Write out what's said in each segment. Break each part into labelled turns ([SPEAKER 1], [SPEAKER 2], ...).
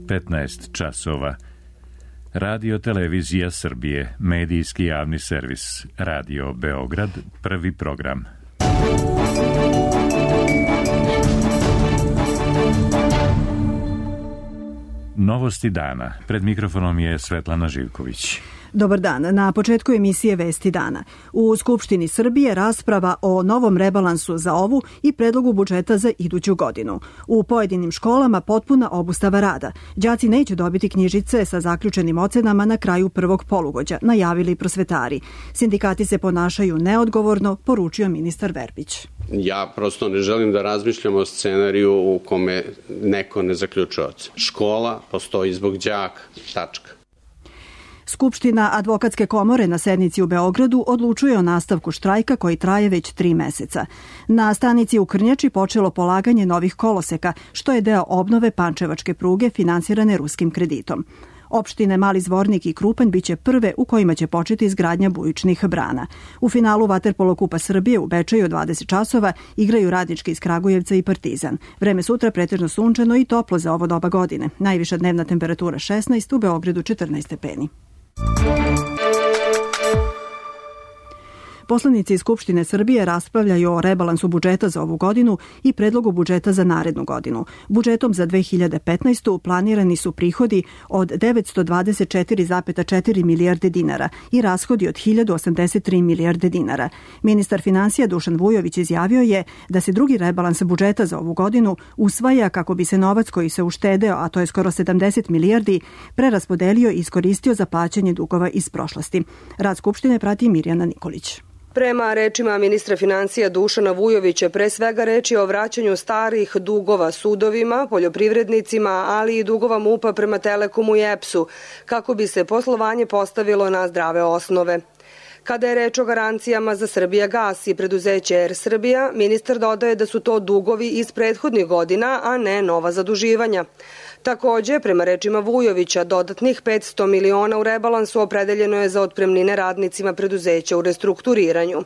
[SPEAKER 1] 15 časova. Radio Televizija Srbije, medijski javni servis. Radio Beograd, prvi program. Novosti dana. Pred mikrofonom je Svetlana Živković.
[SPEAKER 2] Dobar dan. Na početku emisije Vesti dana. U Skupštini Srbije rasprava o novom rebalansu za ovu i predlogu budžeta za iduću godinu. U pojedinim školama potpuna obustava rada. Đaci neće dobiti knjižice sa zaključenim ocenama na kraju prvog polugođa, najavili prosvetari. Sindikati se ponašaju neodgovorno, poručio ministar Verbić.
[SPEAKER 3] Ja prosto ne želim da razmišljam o scenariju u kome neko ne zaključuje ocenu. Škola postoji zbog đaka, tačka.
[SPEAKER 2] Skupština Advokatske komore na sednici u Beogradu odlučuje o nastavku štrajka koji traje već 3 meseca. Na stanici u Krnjači počelo polaganje novih koloseka, što je deo obnove pančevačke pruge finansirane ruskim kreditom. Opštine Mali Zvornik i Krupanj biće prve u kojima će početi izgradnja bujičnih brana. U finalu Vaterpolo kupa Srbije u Bečeju od 20 časova igraju Radnički iz Kragujevca i Partizan. Vreme sutra pretežno sunčano i toplo za ovo doba godine. Najviša dnevna temperatura 16, u Beogradu 14 stepeni. Poslanici Skupštine Srbije raspravljaju o rebalansu budžeta za ovu godinu i predlogu budžeta za narednu godinu. Budžetom za 2015. planirani su prihodi od 924,4 milijarde dinara i rashodi od 1083 milijarde dinara. Ministar finansija Dušan Vujović izjavio je da se drugi rebalans budžeta za ovu godinu usvaja kako bi se novac koji se uštedeo, a to je skoro 70 milijardi, preraspodelio i iskoristio za plaćanje dugova iz prošlosti. Rad Skupštine prati Mirjana Nikolić.
[SPEAKER 4] Prema rečima ministra finansija Dušana Vujovića, pre svega reč je o vraćanju starih dugova sudovima, poljoprivrednicima, ali i dugova MUP-a prema Telekomu i EPS-u, kako bi se poslovanje postavilo na zdrave osnove. Kada je reč o garancijama za Srbijagas i preduzeće Air Srbija, ministar dodaje da su to dugovi iz prethodnih godina, a ne nova zaduživanja. Takođe, prema rečima Vujovića, dodatnih 500 miliona u rebalansu opredeljeno je za otpremnine radnicima preduzeća u restrukturiranju.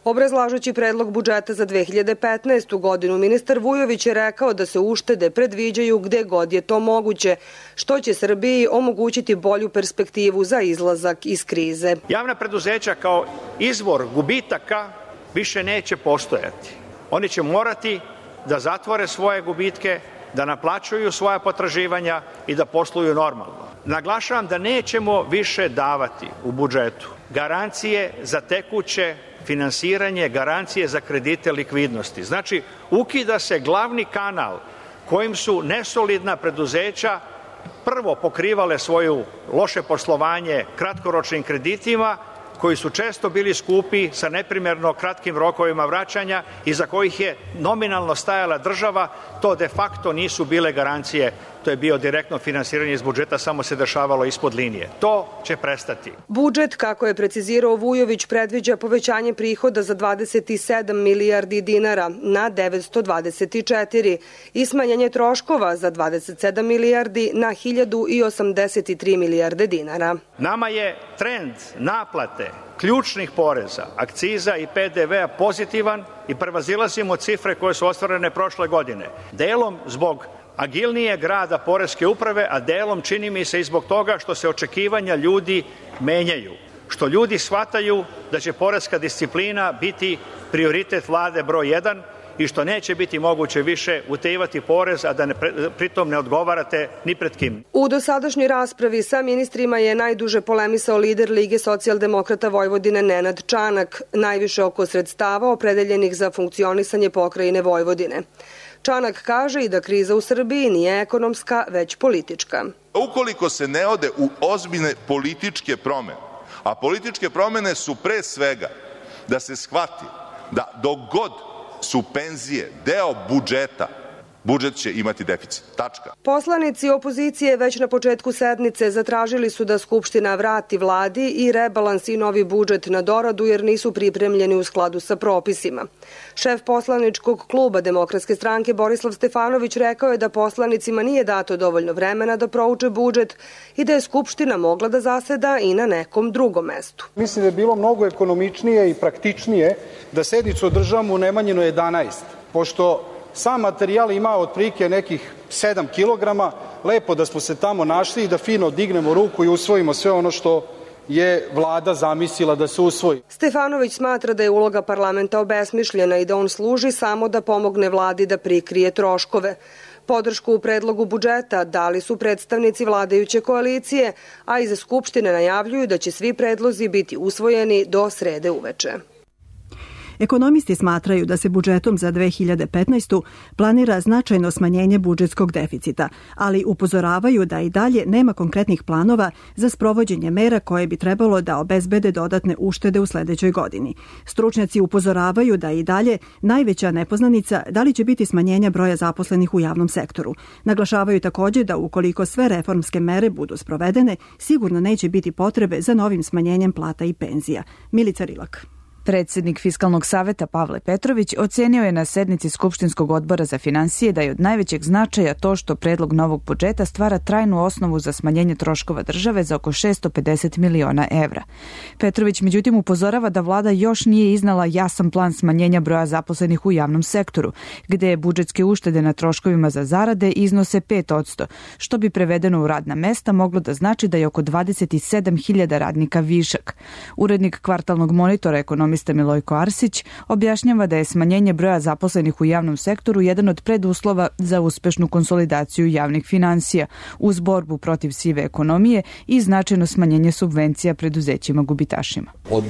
[SPEAKER 4] Obrazlažući predlog budžeta za 2015. godinu, ministar Vujović je rekao da se uštede predviđaju gde god je to moguće, što će Srbiji omogućiti bolju perspektivu za izlazak iz krize.
[SPEAKER 5] Javna preduzeća kao izvor gubitaka više neće postojati. Oni će morati da zatvore svoje gubitke, da naplaćuju svoja potraživanja i da posluju normalno. Naglašavam da nećemo više davati u budžetu garancije za tekuće finansiranje, garancije za kredite likvidnosti. Znači, ukida se glavni kanal kojim su nesolidna preduzeća prvo pokrivale svoju loše poslovanje kratkoročnim kreditima, koji su često bili skupi sa neprimerno kratkim rokovima vraćanja i za kojih je nominalno stajala država, to de facto nisu bile garancije. To je bio direktno finansiranje iz budžeta, samo se dešavalo ispod linije. To će prestati.
[SPEAKER 4] Budžet, kako je precizirao Vujović, predviđa povećanje prihoda za 27 milijardi dinara na 924 i smanjenje troškova za 27 milijardi na 1083 milijarde dinara.
[SPEAKER 5] Nama je trend naplate ključnih poreza, akciza i PDV-a pozitivan i prevazilazimo cifre koje su ostvarene prošle godine. Delom zbog agilnijeg rada poreske uprave, a delom čini mi se i zbog toga što se očekivanja ljudi menjaju. Što ljudi shvataju da će poreska disciplina biti prioritet vlade broj 1 i što neće biti moguće više utajivati porez, a da pritom ne odgovarate ni pred kim.
[SPEAKER 4] U dosadašnjoj raspravi sa ministrima je najduže polemisao lider Lige socijaldemokrata Vojvodine Nenad Čanak, najviše oko sredstava opredeljenih za funkcionisanje pokrajine Vojvodine. Čanak kaže i da kriza u Srbiji nije ekonomska, već politička.
[SPEAKER 6] Ukoliko se ne ode u ozbiljne političke promene, a političke promene su pre svega da se shvati da dok god su penzije deo budžeta, budžet će imati deficit. Tačka.
[SPEAKER 4] Poslanici opozicije već na početku sednice zatražili su da Skupština vrati vladi i rebalans i novi budžet na doradu jer nisu pripremljeni u skladu sa propisima. Šef poslaničkog kluba Demokratske stranke Borislav Stefanović rekao je da poslanicima nije dato dovoljno vremena da prouče budžet i da je Skupština mogla da zaseda i na nekom drugom mestu.
[SPEAKER 7] Mislim da je bilo mnogo ekonomičnije i praktičnije da sednicu održavamo u Nemanjinoj 11, pošto Sam materijal ima otprilike nekih 7 kilograma. Lepo da smo se tamo našli i da fino dignemo ruku i usvojimo sve ono što je vlada zamislila da se usvoji.
[SPEAKER 4] Stefanović smatra da je uloga parlamenta obesmišljena i da on služi samo da pomogne vladi da prikrije troškove. Podršku u predlogu budžeta dali su predstavnici vladajuće koalicije, a iz Skupštine najavljuju da će svi predlozi biti usvojeni do srede uveče.
[SPEAKER 2] Ekonomisti smatraju da se budžetom za 2015. planira značajno smanjenje budžetskog deficita, ali upozoravaju da i dalje nema konkretnih planova za sprovođenje mera koje bi trebalo da obezbede dodatne uštede u sledećoj godini. Stručnjaci upozoravaju da i dalje najveća nepoznanica da li će biti smanjenja broja zaposlenih u javnom sektoru. Naglašavaju takođe da ukoliko sve reformske mere budu sprovedene, sigurno neće biti potrebe za novim smanjenjem plata i penzija. Milica Rilak.
[SPEAKER 8] Predsednik Fiskalnog saveta Pavle Petrović ocenio je na sednici Skupštinskog odbora za finansije da je od najvećeg značaja to što predlog novog budžeta stvara trajnu osnovu za smanjenje troškova države za oko 650 miliona evra. Petrović međutim upozorava da vlada još nije iznala jasan plan smanjenja broja zaposlenih u javnom sektoru, gde je budžetske uštede na troškovima za zarade iznose 5%, što bi prevedeno u radna mesta moglo da znači da je oko 27.000 radnika višak. Urednik kvartalnog monitora ekonomista Milojko Arsić objašnjava da je smanjenje broja zaposlenih u javnom sektoru jedan od preduslova za uspešnu konsolidaciju javnih finansija uz borbu protiv sive ekonomije i značajno smanjenje subvencija preduzećima gubitašima.
[SPEAKER 9] Od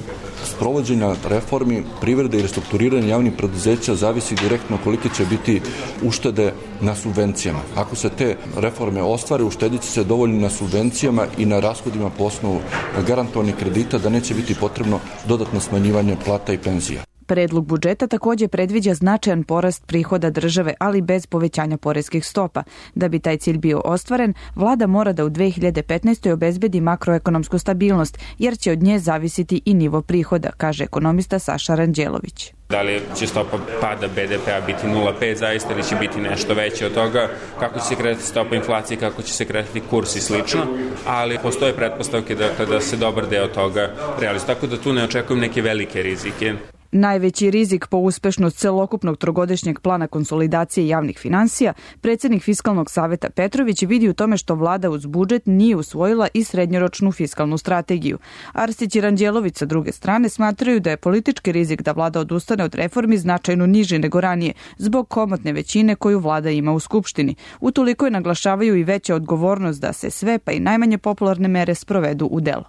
[SPEAKER 9] sprovođenja reformi privrede i restrukturiranja javnih preduzeća zavisi direktno kolike će biti uštede na subvencijama. Ako se te reforme ostvare, uštedit će se dovoljno na subvencijama i na rashodima po osnovu garantovanih kredita da neće biti potrebno dodatno smanjivanje plata i penzija.
[SPEAKER 8] Predlog budžeta takođe predviđa značajan porast prihoda države, ali bez povećanja poreskih stopa. Da bi taj cilj bio ostvaren, vlada mora da u 2015. obezbedi makroekonomsku stabilnost, jer će od nje zavisiti i nivo prihoda, kaže ekonomista Saša Ranđelović.
[SPEAKER 10] Da li će stopa pada BDP-a biti 0,5 zaista ili će biti nešto veće od toga, kako će se kretati stopa inflacije, kako će se kretati kurs i slično, ali postoje pretpostavke da se dobar deo toga realizuje. Tako da tu ne očekujem neke velike rizike.
[SPEAKER 8] Najveći rizik po uspešnost celokupnog trogodišnjeg plana konsolidacije javnih finansija, predsednik Fiskalnog saveta Petrović vidi u tome što vlada uz budžet nije usvojila i srednjoročnu fiskalnu strategiju. Arsić i Ranđelović sa druge strane smatraju da je politički rizik da vlada odustane od reformi značajno niži nego ranije, zbog komotne većine koju vlada ima u Skupštini. Utoliko je naglašavaju i veća odgovornost da se sve, pa i najmanje popularne mere sprovedu u delo.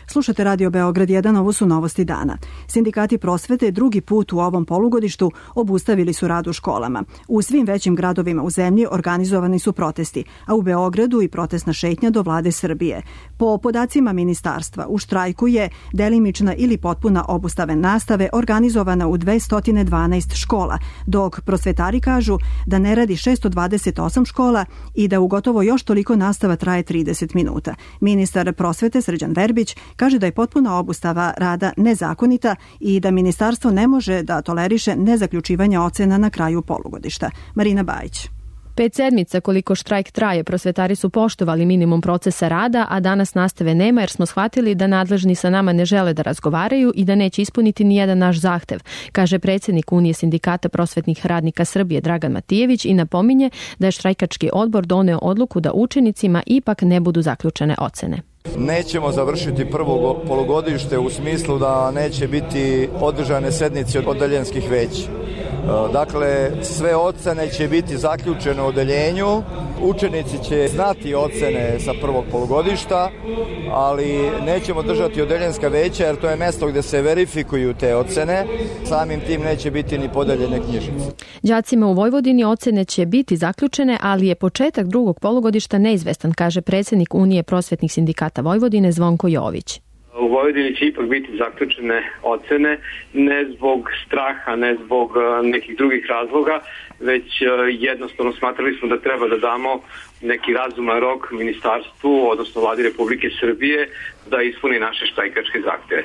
[SPEAKER 2] Slušate Radio Beograd 1, ovo su novosti dana. Sindikati prosvete drugi put u ovom polugodištu obustavili su rad u školama. U svim većim gradovima u zemlji organizovani su protesti, a u Beogradu i protestna šetnja do vlade Srbije. Po podacima ministarstva, u štrajku je delimična ili potpuna obustave nastave organizovana u 212 škola, dok prosvetari kažu da ne radi 628 škola i da u gotovo još toliko nastava traje 30 minuta. Ministar prosvete Srđan Verbić kaže da je potpuna obustava rada nezakonita i da ministarstvo ne može da toleriše nezaključivanje ocena na kraju polugodišta. Marina Bajić.
[SPEAKER 11] 5 sedmica koliko štrajk traje, prosvetari su poštovali minimum procesa rada, a danas nastave nema jer smo shvatili da nadležni sa nama ne žele da razgovaraju i da neće ispuniti ni jedan naš zahtev, kaže predsednik Unije sindikata prosvetnih radnika Srbije Dragan Matijević i napominje da je štrajkački odbor doneo odluku da učenicima ipak ne budu zaključene ocene.
[SPEAKER 12] Nećemo završiti prvo polugodište u smislu da neće biti održane sednice odeljenskih veća. Dakle, sve ocene će biti zaključene u odeljenju, učenici će znati ocene sa prvog polugodišta, ali nećemo držati odeljenska veća jer to je mesto gde se verifikuju te ocene, samim tim neće biti ni podeljene knjižice.
[SPEAKER 11] Đacima u Vojvodini ocene će biti zaključene, ali je početak drugog polugodišta neizvestan, kaže predsednik Unije prosvetnih sindikata Vojvodine Zvonko Jović.
[SPEAKER 13] U Vojvodini će ipak biti zaključene ocene, ne zbog straha, ne zbog nekih drugih razloga, već jednostavno smatrali smo da treba da damo neki razuman rok ministarstvu, odnosno vladi Republike Srbije, da ispuni naše štrajkačke zahteve.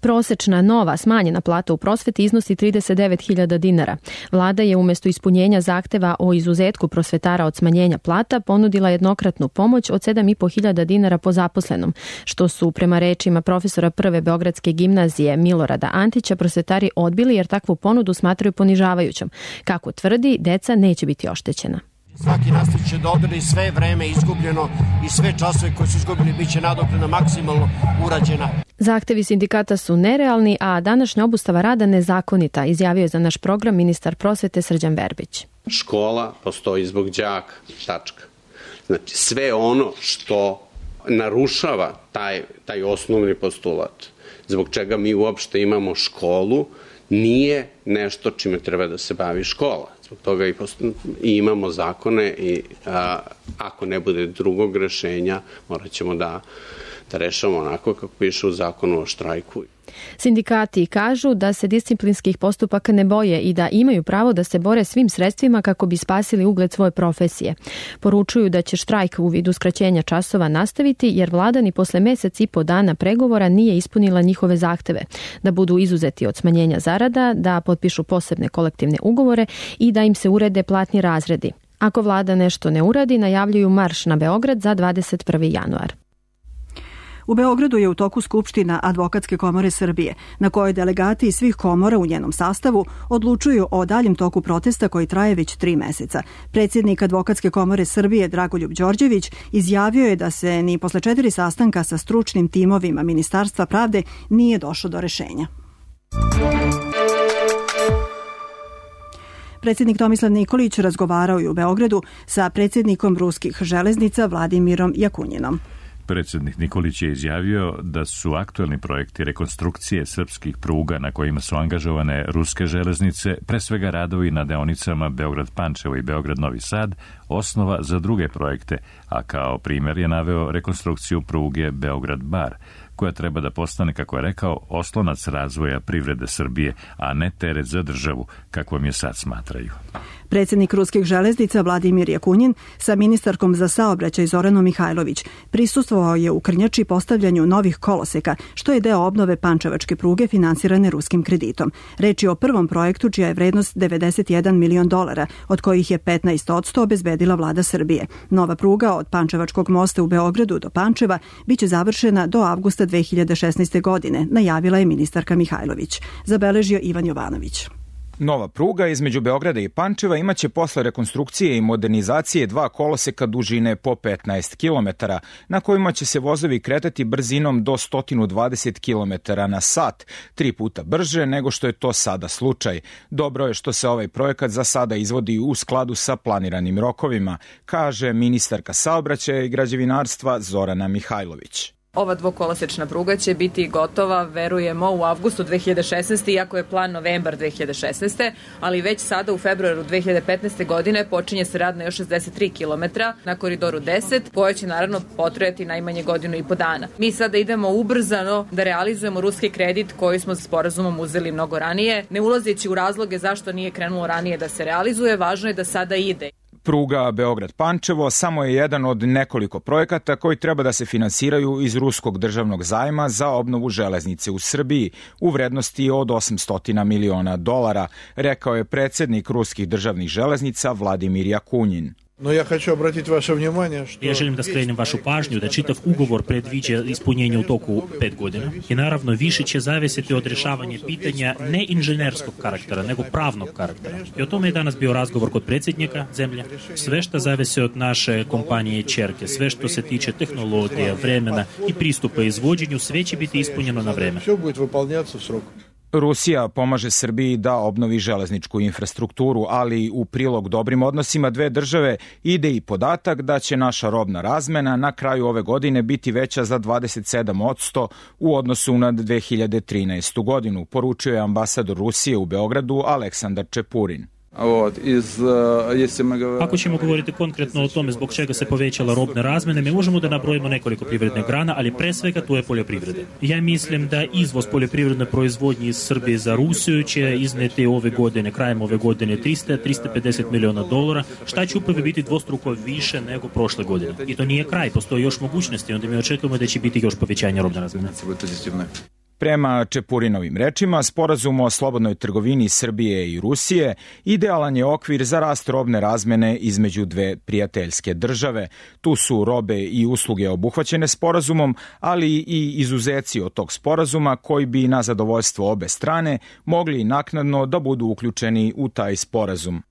[SPEAKER 11] Prosečna nova smanjena plata u prosveti iznosi 39.000 dinara. Vlada je umjesto ispunjenja zahteva o izuzetku prosvetara od smanjenja plata ponudila jednokratnu pomoć od 7.500 dinara po zaposlenom, što su prema rečima profesora Prve Beogradske gimnazije Milorada Antića prosvetari odbili jer takvu ponudu smatraju ponižavajućom. Kako tvrdi, deca neće biti oštećena.
[SPEAKER 14] Svaki nastavnik će da odradi sve vreme izgubljeno i sve časove koji su izgubljeni bit će nadoknadna maksimalno urađena.
[SPEAKER 11] Zahtevi sindikata su nerealni, a današnja obustava rada nezakonita, izjavio je za naš program ministar prosvete Srđan Verbić.
[SPEAKER 3] Škola postoji zbog đaka, tačka. Znači sve ono što narušava taj osnovni postulat, zbog čega mi uopšte imamo školu, nije nešto čime treba da se bavi škola. Zbog toga i imamo zakone i ako ne bude drugog rešenja, morat ćemo da rešamo onako kako piše u zakonu o štrajku.
[SPEAKER 11] Sindikati kažu da se disciplinskih postupaka ne boje i da imaju pravo da se bore svim sredstvima kako bi spasili ugled svoje profesije. Poručuju da će štrajk u vidu skraćenja časova nastaviti jer vlada ni posle mesec i po dana pregovora nije ispunila njihove zahteve, da budu izuzeti od smanjenja zarada, da potpišu posebne kolektivne ugovore i da im se urede platni razredi. Ako vlada nešto ne uradi, najavljuju marš na Beograd za 21. januar.
[SPEAKER 2] U Beogradu je u toku Skupština Advokatske komore Srbije, na kojoj delegati iz svih komora u njenom sastavu odlučuju o daljem toku protesta koji traje već 3 meseca. Predsjednik Advokatske komore Srbije Dragoljub Đorđević izjavio je da se ni posle 4 sastanka sa stručnim timovima Ministarstva pravde nije došlo do rešenja. Predsjednik Tomislav Nikolić razgovarao je u Beogradu sa predsjednikom ruskih železnica Vladimirom Jakunjinom.
[SPEAKER 1] Predsjednik Nikolić je izjavio da su aktuelni projekti rekonstrukcije srpskih pruga na kojima su angažovane ruske železnice, pre svega radovi na deonicama Beograd-Pančevo i Beograd-Novi Sad, osnova za druge projekte, a kao primjer je naveo rekonstrukciju pruge Beograd-Bar, koja treba da postane, kako je rekao, oslonac razvoja privrede Srbije, a ne teret za državu, kakvom je sad smatraju.
[SPEAKER 2] Predsjednik ruskih železnica Vladimir Jakunjin sa ministarkom za saobraćaj Zoranom Mihajlović prisustvovao je u Krnjači postavljanju novih koloseka, što je deo obnove pančevačke pruge finansirane ruskim kreditom. Reč je o prvom projektu čija je vrednost $91 milion, od kojih je 15% obezbedila vlada Srbije. Nova pruga od Pančevačkog mosta u Beogradu do Pančeva biće završena do avgusta 2016. godine, najavila je ministarka Mihajlović. Zabeležio Ivan Jovanović.
[SPEAKER 15] Nova pruga između Beograda i Pančeva imaće posle rekonstrukcije i modernizacije 2 koloseka dužine po 15 km, na kojima će se vozovi kretati brzinom do 120 km na sat, 3 puta brže nego što je to sada slučaj. Dobro je što se ovaj projekat za sada izvodi u skladu sa planiranim rokovima, kaže ministarka saobraćaja i građevinarstva Zorana Mihajlović.
[SPEAKER 16] Ova dvokolosečna pruga će biti gotova, verujemo, u avgustu 2016. iako je plan novembar 2016. ali već sada u februaru 2015. godine počinje se rad na još 63 km na koridoru 10, koja će naravno potrajati najmanje 1.5 godina. Mi sada idemo ubrzano da realizujemo ruski kredit koji smo sporazumom uzeli mnogo ranije, ne ulazeći u razloge zašto nije krenulo ranije da se realizuje, važno je da sada ide.
[SPEAKER 15] Pruga Beograd-Pančevo samo je jedan od nekoliko projekata koji treba da se finansiraju iz ruskog državnog zajma za obnovu železnice u Srbiji u vrednosti od $800 miliona, rekao je predsjednik ruskih državnih železnica Vladimir Jakunjin.
[SPEAKER 17] Ja želim da skrenem vašu pažnju da čitav ugovor predviđa ispunjenje u toku 5 godina i naravno više će zavisiti od rješavanja pitanja ne inženjerskog karaktera, nego pravnog karaktera. I o tome je danas bio razgovor kod predsjednika zemlje. Sve što zavisi od naše kompanije ćerke, sve što se tiče tehnologije, vremena i pristupa izvođenju, sve će biti ispunjeno na vreme.
[SPEAKER 15] Rusija pomaže Srbiji da obnovi železničku infrastrukturu, ali u prilog dobrim odnosima dve države ide i podatak da će naša robna razmena na kraju ove godine biti veća za 27% u odnosu na 2013. godinu, poručio je ambasador Rusije u Beogradu Aleksandar Čepurin.
[SPEAKER 17] Ako ćemo govoriti konkretno o tome zbog čega se povećala robna razmjena, mi možemo da nabrojimo nekoliko privrednih grana, ali pre svega to je poljoprivreda. Ja mislim da izvoz poljoprivredne proizvodnje iz Srbije za Rusiju će izneti ove godine, krajem ove godine $350 miliona, šta će upravo biti dvostruko više nego prošle godine. I to nije kraj, postoji još mogućnosti, onda mi očekujemo da će biti još povećanje robne razmjene.
[SPEAKER 15] Prema Čepurinovim rečima, sporazum o slobodnoj trgovini Srbije i Rusije idealan je okvir za rast robne razmene između dve prijateljske države. Tu su robe i usluge obuhvaćene sporazumom, ali i izuzeci od tog sporazuma koji bi na zadovoljstvo obe strane mogli naknadno da budu uključeni u taj sporazum.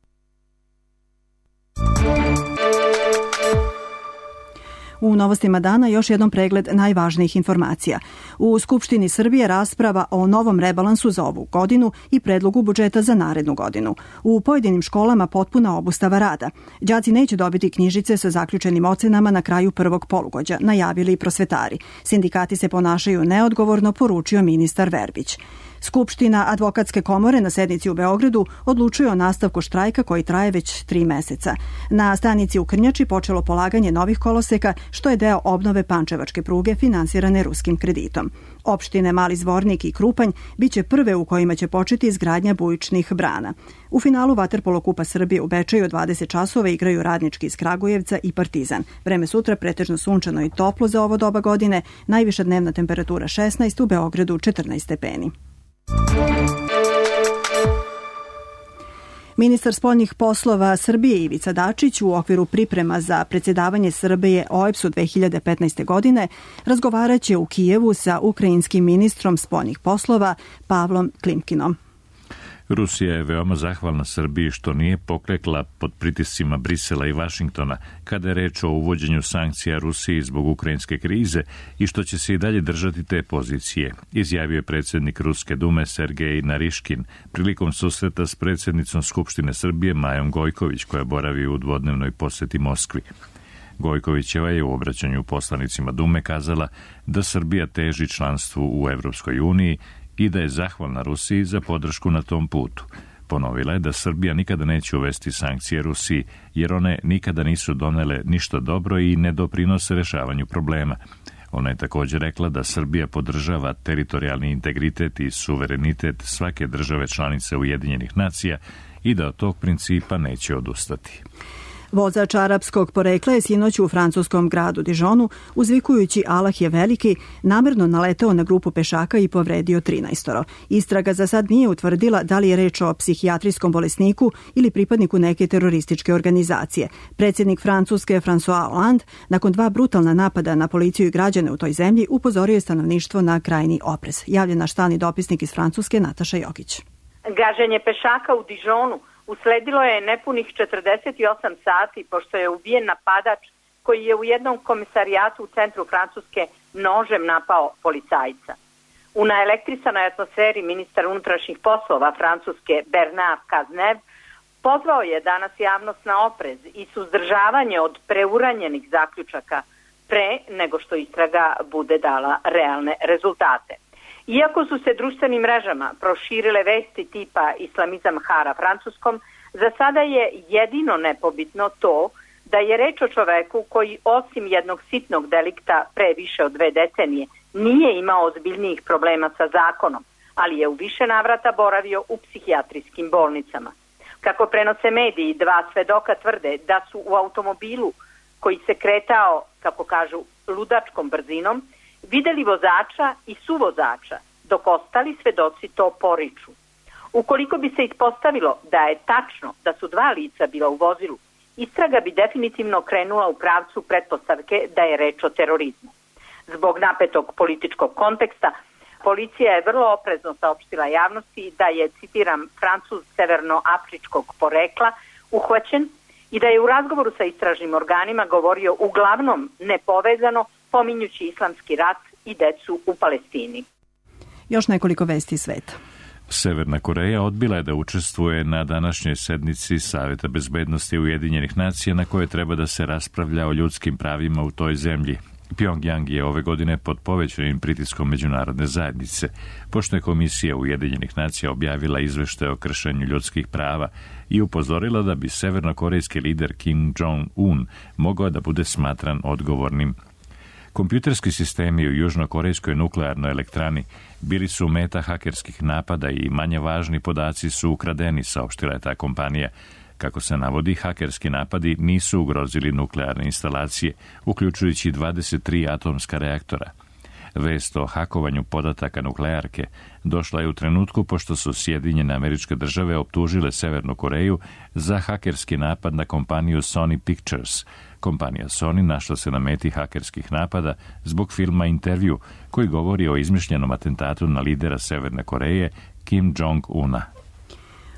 [SPEAKER 2] U novostima dana još jednom pregled najvažnijih informacija. U Skupštini Srbije rasprava o novom rebalansu za ovu godinu i predlogu budžeta za narednu godinu. U pojedinim školama potpuna obustava rada. Đaci neće dobiti knjižice sa zaključenim ocenama na kraju prvog polugođa, najavili prosvetari. Sindikati se ponašaju neodgovorno, poručio ministar Verbić. Skupština Advokatske komore na sednici u Beogradu odlučuje o nastavku štrajka koji traje već 3 meseca. Na stanici u Krnjači počelo polaganje novih koloseka, što je deo obnove pančevačke pruge finansirane ruskim kreditom. Opštine Mali Zvornik i Krupanj biće prve u kojima će početi izgradnja bujičnih brana. U finalu Vaterpolo kupa Srbije u Bečeju od 20 časova igraju Radnički iz Kragujevca i Partizan. Vreme sutra pretežno sunčano i toplo za ovo doba godine, najviša dnevna temperatura 16, u Beogradu 14 stepeni. Ministar spoljnih poslova Srbije Ivica Dačić u okviru priprema za predsjedavanje Srbije OEBS-u 2015. godine razgovaraće u Kijevu sa ukrajinskim ministrom spoljnih poslova Pavlom Klimkinom.
[SPEAKER 1] Rusija je veoma zahvalna Srbiji što nije poklekla pod pritiscima Brisela i Vašingtona kada je reč o uvođenju sankcija Rusiji zbog ukrajinske krize i što će se i dalje držati te pozicije, izjavio je predsjednik Ruske dume Sergej Nariškin prilikom susreta s predsjednicom Skupštine Srbije Majom Gojković, koja boravi u dvodnevnoj posjeti Moskvi. Gojkovićeva je u obraćanju poslanicima Dume kazala da Srbija teži članstvu u Evropskoj uniji i da je zahvalna Rusiji za podršku na tom putu. Ponovila je da Srbija nikada neće uvesti sankcije Rusiji, jer one nikada nisu donele ništa dobro i ne doprinose rešavanju problema. Ona je također rekla da Srbija podržava teritorijalni integritet i suverenitet svake države članice Ujedinjenih nacija i da od tog principa neće odustati.
[SPEAKER 2] Vozač arapskog porekla je sinoć u francuskom gradu Dijonu, uzvikujući Allah je veliki, namerno naleteo na grupu pešaka i povredio 13. Istraga za sad nije utvrdila da li je reč o psihijatrijskom bolesniku ili pripadniku neke terorističke organizacije. Predsjednik Francuske François Hollande, nakon 2 brutalna napada na policiju i građane u toj zemlji, upozorio je stanovništvo na krajnji oprez. Javlja naš stalni dopisnik iz Francuske Nataša Jokić.
[SPEAKER 18] Gaženje pešaka u Dijonu usledilo je nepunih 48 sati pošto je ubijen napadač koji je u jednom komisarijatu u centru Francuske nožem napao policajca. U naelektrisanoj atmosferi ministar unutrašnjih poslova Francuske Bernard Cazeneuve pozvao je danas javnost na oprez i suzdržavanje od preuranjenih zaključaka pre nego što istraga bude dala realne rezultate. Iako su se društvenim mrežama proširile vesti tipa islamizam hara Francuskom, za sada je jedino nepobitno to da je reč o čoveku koji osim jednog sitnog delikta pre više od 2 decenije nije imao ozbiljnijih problema sa zakonom, ali je u više navrata boravio u psihijatrijskim bolnicama. Kako prenose mediji, 2 svedoka tvrde da su u automobilu koji se kretao, kako kažu, ludačkom brzinom, videli vozača i suvozača, dok ostali svedoci to poriču. Ukoliko bi se ispostavilo da je tačno da su 2 lica bila u vozilu, istraga bi definitivno krenula u pravcu pretpostavke da je reč o terorizmu. Zbog napetog političkog konteksta, policija je vrlo oprezno saopštila javnosti da je, citiram, Francuz severnoafričkog porekla uhvaćen i da je u razgovoru sa istražnim organima govorio uglavnom nepovezano, pominjući islamski rat i decu u Palestini.
[SPEAKER 2] Još nekoliko vesti sveta.
[SPEAKER 1] Severna Koreja odbila je da učestvuje na današnjoj sednici Saveta bezbednosti Ujedinjenih nacija na kojoj treba da se raspravlja o ljudskim pravima u toj zemlji. Pjongjang je ove godine pod povećanim pritiskom međunarodne zajednice, pošto je Komisija Ujedinjenih nacija objavila izveštaj o kršenju ljudskih prava i upozorila da bi severnokorejski lider Kim Jong-un mogao da bude smatran odgovornim. Kompjuterski sistemi u južnokorejskoj nuklearnoj elektrani bili su meta hakerskih napada i manje važni podaci su ukradeni, saopštila je ta kompanija. Kako se navodi, hakerski napadi nisu ugrozili nuklearne instalacije, uključujući 23 atomska reaktora. Vest o hakovanju podataka nuklearke došla je u trenutku pošto su Sjedinjene Američke Države optužile Severnu Koreju za hakerski napad na kompaniju Sony Pictures. Kompanija Sony našla se na meti hakerskih napada zbog filma Intervju, koji govori o izmišljenom atentatu na lidera Severne Koreje Kim Jong-una.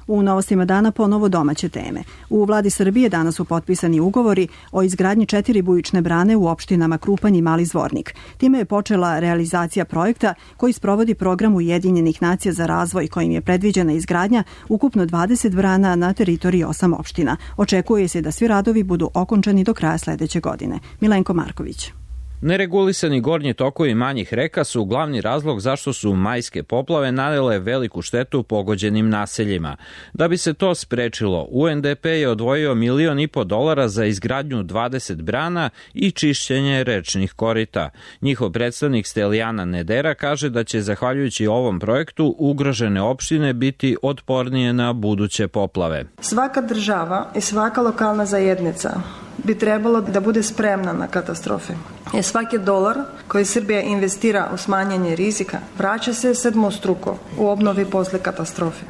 [SPEAKER 2] U novostima dana ponovo domaće teme. U vladi Srbije danas su potpisani ugovori o izgradnji 4 bujične brane u opštinama Krupanj i Mali Zvornik. Time je počela realizacija projekta koji sprovodi program Ujedinjenih nacija za razvoj, kojim je predviđena izgradnja ukupno 20 brana na teritoriji 8 opština. Očekuje se da svi radovi budu okončani do kraja sledeće godine. Milenko Marković.
[SPEAKER 19] Neregulisani gornji tokovi manjih reka su glavni razlog zašto su majske poplave nanele veliku štetu pogođenim naseljima. Da bi se to sprečilo, UNDP je odvojio $1,5 miliona za izgradnju 20 brana i čišćenje rečnih korita. Njihov predstavnik Stelijana Nedera kaže da će, zahvaljujući ovom projektu, ugrožene opštine biti otpornije na buduće poplave.
[SPEAKER 20] Svaka država i svaka lokalna zajednica bi trebalo da bude spremna na katastrofe. Svaki dolar koji Srbija investira u smanjanje rizika vraća se sedmostruko u obnovi posle katastrofe.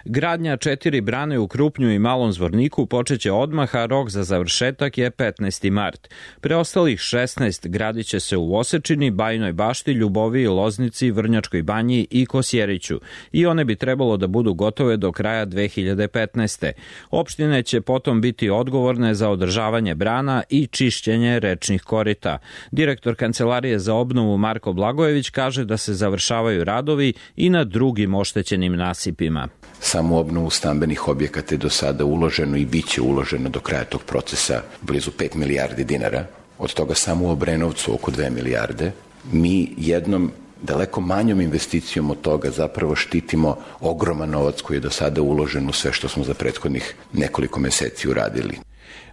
[SPEAKER 19] Gradnja 4 brane u Krupnju i Malom Zvorniku počeće odmah, a rok za završetak je 15. mart. Preostalih 16 gradit će se u Osečini, Bajinoj Bašti, Ljuboviji, Loznici, Vrnjačkoj Banji i Kosjeriću i one bi trebalo da budu gotove do kraja 2015. Opštine će potom biti odgovorne za održavanje brana i čišćenje rečnih korita. Direktor Kancelarije za obnovu Marko Blagojević kaže da se završavaju radovi i na drugim oštećenim nasipima.
[SPEAKER 21] Samo u obnovu stambenih objekata je do sada uloženo i bit će uloženo do kraja tog procesa blizu 5 milijardi dinara. Od toga samo u Obrenovcu oko 2 milijarde. Mi jednom daleko manjom investicijom od toga zapravo štitimo ogroman novac koji je do sada uložen u sve što smo za prethodnih nekoliko meseci uradili.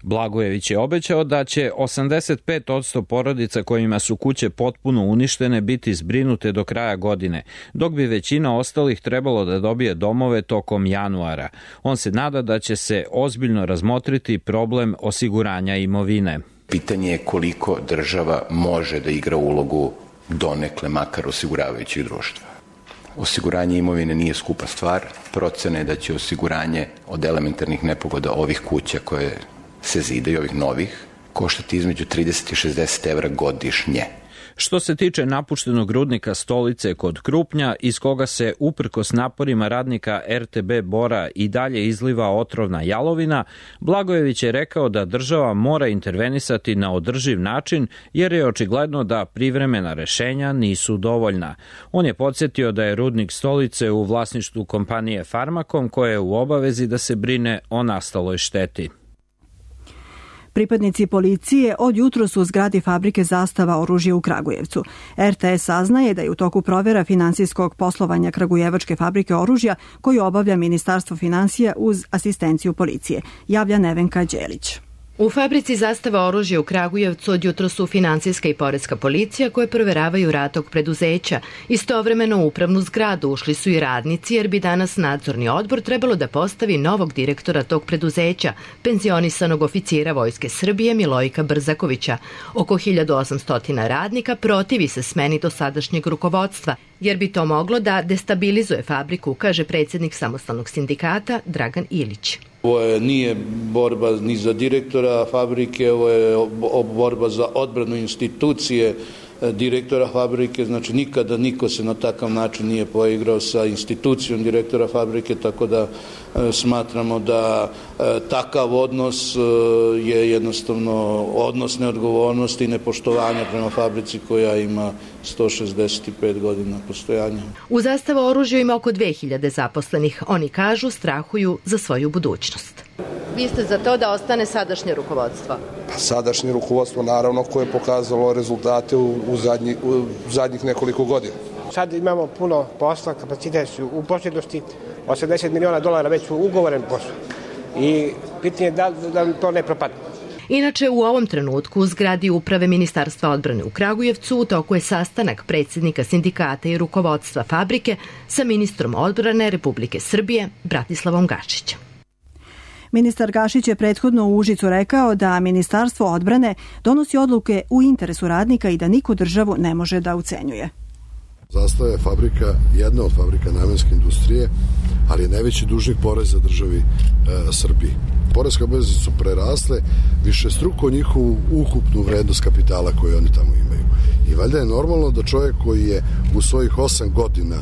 [SPEAKER 19] Blagojević je obećao da će 85% porodica kojima su kuće potpuno uništene biti zbrinute do kraja godine, dok bi većina ostalih trebalo da dobije domove tokom januara. On se nada da će se ozbiljno razmotriti problem osiguranja imovine.
[SPEAKER 21] Pitanje je koliko država može da igra ulogu donekle makar osiguravajućih društva. Osiguranje imovine nije skupa stvar. Procena je da će osiguranje od elementarnih nepogoda ovih kuća koje se zidaju, ovih novih, koštati između 30 i 60 evra godišnje.
[SPEAKER 19] Što se tiče napuštenog rudnika Stolice kod Krupnja, iz koga se uprkos naporima radnika RTB Bora i dalje izliva otrovna jalovina, Blagojević je rekao da država mora intervenisati na održiv način jer je očigledno da privremena rešenja nisu dovoljna. On je podsjetio da je rudnik Stolice u vlasništvu kompanije Farmakom koja je u obavezi da se brine o nastaloj šteti.
[SPEAKER 2] Pripadnici policije od jutro su u zgradi fabrike Zastava oružja u Kragujevcu. RTS saznaje da je u toku provera finansijskog poslovanja Kragujevačke fabrike oružja koju obavlja Ministarstvo finansija uz asistenciju policije, javlja Nevenka Đelić.
[SPEAKER 22] U fabrici Zastava oružja u Kragujevcu od jutro su finansijska i poreska policija koje proveravaju rad tog preduzeća. Istovremeno u upravnu zgradu ušli su i radnici jer bi danas nadzorni odbor trebalo da postavi novog direktora tog preduzeća, penzionisanog oficira Vojske Srbije Milojka Brzakovića. Oko 1800 radnika protivi se smeni dosadašnjeg rukovodstva, jer bi to moglo da destabilizuje fabriku, kaže predsjednik samostalnog sindikata Dragan Ilić.
[SPEAKER 23] Ovo nije borba ni za direktora fabrike, ovo je borba za odbranu institucije direktora fabrike, znači nikada niko se na takav način nije poigrao sa institucijom direktora fabrike, tako da smatramo da takav odnos je jednostavno odnos neodgovornosti i nepoštovanja prema fabrici koja ima 165 godina postojanja.
[SPEAKER 22] U Zastava oružju ima oko 2000 zaposlenih. Oni kažu strahuju za svoju budućnost. Vi ste za to da ostane sadašnje rukovodstvo?
[SPEAKER 24] Sadašnje rukovodstvo naravno koje je pokazalo rezultate u zadnjih nekoliko godina.
[SPEAKER 25] Sad imamo puno posla, kapacitet su u posjednosti, $80 miliona već su ugovoren posao i pitanje je da to ne propadne.
[SPEAKER 22] Inače, u ovom trenutku u zgradi uprave Ministarstva odbrane u Kragujevcu u toku je sastanak predsjednika sindikata i rukovodstva fabrike sa ministrom odbrane Republike Srbije Bratislavom Gašićem.
[SPEAKER 2] Ministar Gašić je prethodno u Užicu rekao da Ministarstvo odbrane donosi odluke u interesu radnika i da niko državu ne može da ucenjuje.
[SPEAKER 4] Zastava je fabrika, jedna od fabrika namenske industrije, ali je najveći dužnik poreza državi Srbiji. Poreske obaveze su prerasle višestruko njihovu ukupnu vrednost kapitala koju oni tamo imaju. I valjda je normalno da čovjek koji je u svojih 8 godina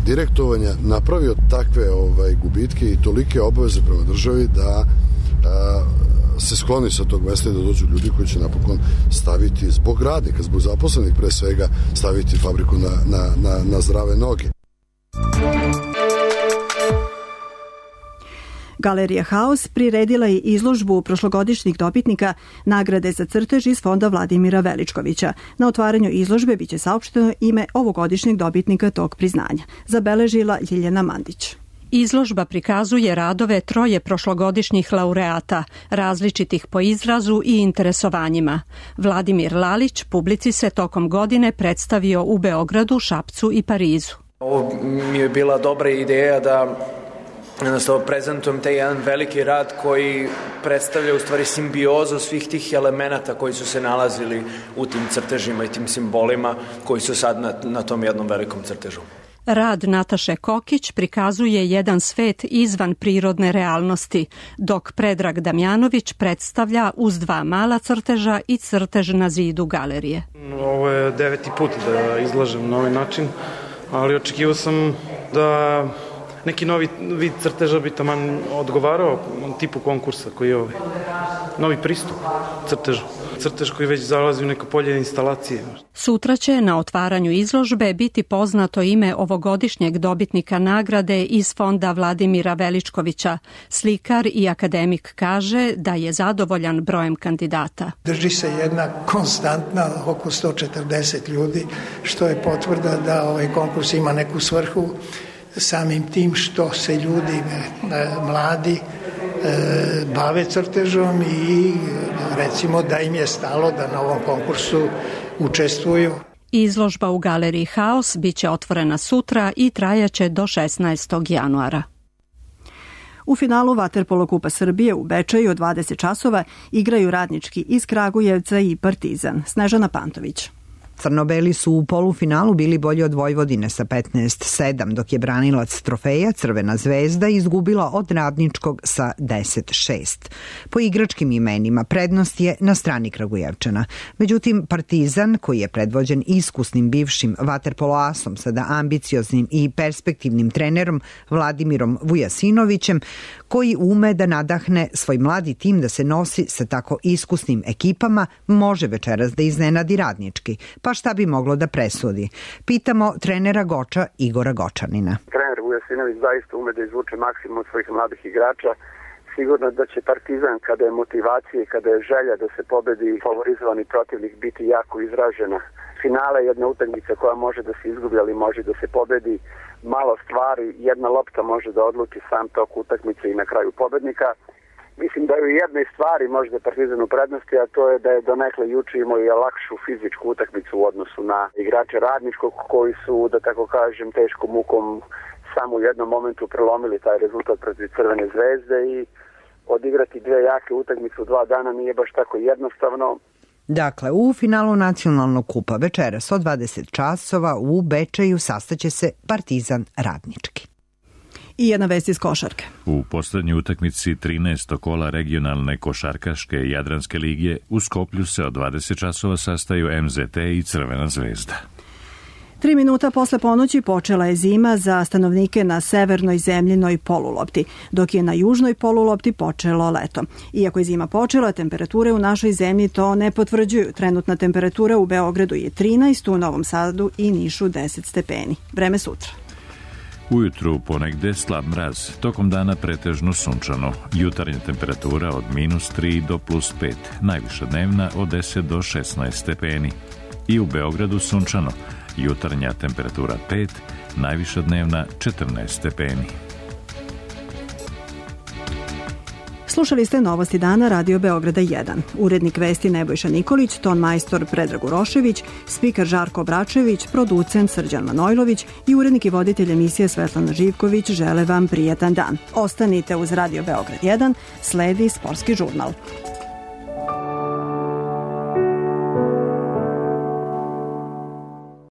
[SPEAKER 4] direktovanja napravio takve gubitke i tolike obaveze prema državi da se skloni sa tog mesta i da dođu ljudi koji će napokon staviti zbog radnika, zbog zaposlenih pre svega, staviti fabriku na zdrave noge.
[SPEAKER 2] Galerija Haos priredila je izložbu prošlogodišnjih dobitnika nagrade za crtež iz fonda Vladimira Veličkovića. Na otvaranju izložbe biće saopšteno ime ovogodišnjeg dobitnika tog priznanja, zabeležila Ljiljana Mandić.
[SPEAKER 5] Izložba prikazuje radove 3 prošlogodišnjih laureata, različitih po izrazu i interesovanjima. Vladimir Lalić publici se tokom godine predstavio u Beogradu, Šapcu i Parizu.
[SPEAKER 6] Ovo mi je bila dobra ideja da jednostavno prezentujem taj jedan veliki rad koji predstavlja u stvari simbiozu svih tih elemenata koji su se nalazili u tim crtežima i tim simbolima koji su sad na tom jednom velikom crtežu.
[SPEAKER 5] Rad Nataše Kokić prikazuje jedan svet izvan prirodne realnosti, dok Predrag Damjanović predstavlja uz 2 mala crteža i crtež na zidu galerije.
[SPEAKER 7] Ovo je 9. put da izlažem na ovaj način, ali očekivao sam da neki novi vid crteža bi taman odgovarao tipu konkursa koji je ovaj. Novi pristup crtežu. Crtež koji već zalazi u neko polje instalacije.
[SPEAKER 5] Sutra će na otvaranju izložbe biti poznato ime ovogodišnjeg dobitnika nagrade iz fonda Vladimira Veličkovića. Slikar i akademik kaže da je zadovoljan brojem kandidata.
[SPEAKER 9] Drži se jedna konstantna oko 140 ljudi, što je potvrda da ovaj konkurs ima neku svrhu samim tim što se ljudi mladi bave crtežom i recimo da im je stalo da na ovom konkursu učestvuju.
[SPEAKER 5] Izložba u Galeriji Haos biće otvorena sutra i trajaće do 16. januara.
[SPEAKER 2] U finalu Vaterpolo Kupa Srbije u Bečeju od 20 časova igraju Radnički iz Kragujevca i Partizan. Snežana Pantović.
[SPEAKER 26] Crnobeli su u polufinalu bili bolji od Vojvodine sa 15-7, dok je branilac trofeja Crvena zvezda izgubila od Radničkog sa 10-6. Po igračkim imenima prednost je na strani Kragujevčana. Međutim, Partizan, koji je predvođen iskusnim bivšim vaterpoloasom, sada ambicioznim i perspektivnim trenerom Vladimirom Vujasinovićem, koji ume da nadahne svoj mladi tim da se nosi sa tako iskusnim ekipama, može večeras da iznenadi Radnički. Pa šta bi moglo da presudi? Pitamo trenera Goča Igora Gočanina.
[SPEAKER 27] Trener Vujasinović zaista ume da izvuče maksimum od svojih mladih igrača. Sigurno da će Partizan, kada je motivacija i kada je želja da se pobedi favorizovani protivnik, biti jako izražena. Finale je jedna utakmica koja može da se izgubi, ali može da se pobedi. Malo stvari, jedna lopta može da odluči sam tok utakmice i na kraju pobednika. Mislim da je u jednoj stvari možda Partizan u prednosti, a to je da je donekle juče imao i lakšu fizičku utakmicu u odnosu na igrače Radničkog koji su, da tako kažem, teškom mukom samo u jednom momentu prelomili taj rezultat protiv Crvene zvezde i odigrati 2 jake utakmice u 2 dana nije baš tako jednostavno.
[SPEAKER 26] Dakle, u finalu nacionalnog kupa večeras od 20 časova u Bečeju sastaće se Partizan Radnički.
[SPEAKER 2] I jedna vest iz košarke.
[SPEAKER 1] U poslednjoj utakmici 13. kola regionalne košarkaške Jadranske lige u Skoplju se od 20 časova sastaju MZT i Crvena zvezda.
[SPEAKER 2] 3 minuta posle ponoći počela je zima za stanovnike na severnoj zemljinoj polulopti, dok je na južnoj polulopti počelo leto. Iako je zima počela, temperature u našoj zemlji to ne potvrđuju. Trenutna temperatura u Beogradu je 13, u Novom Sadu i Nišu 10 stepeni. Vreme sutra.
[SPEAKER 1] Ujutru ponegde slab mraz, tokom dana pretežno sunčano. Jutarnja temperatura od -3 do +5, najviša dnevna od 10 do 16 stepeni. I u Beogradu sunčano, jutarnja temperatura 5, najviša dnevna 14 stepeni.
[SPEAKER 2] Slušali ste Novosti dana Radio Beograda 1. Urednik vesti Nebojša Nikolić, ton majstor Predrag Urošević, spiker Žarko Bračević, producent Srđan Manojlović i urednik i voditelj emisije Svetlana Živković žele vam prijetan dan. Ostanite uz Radio Beograd 1, sledi sportski žurnal.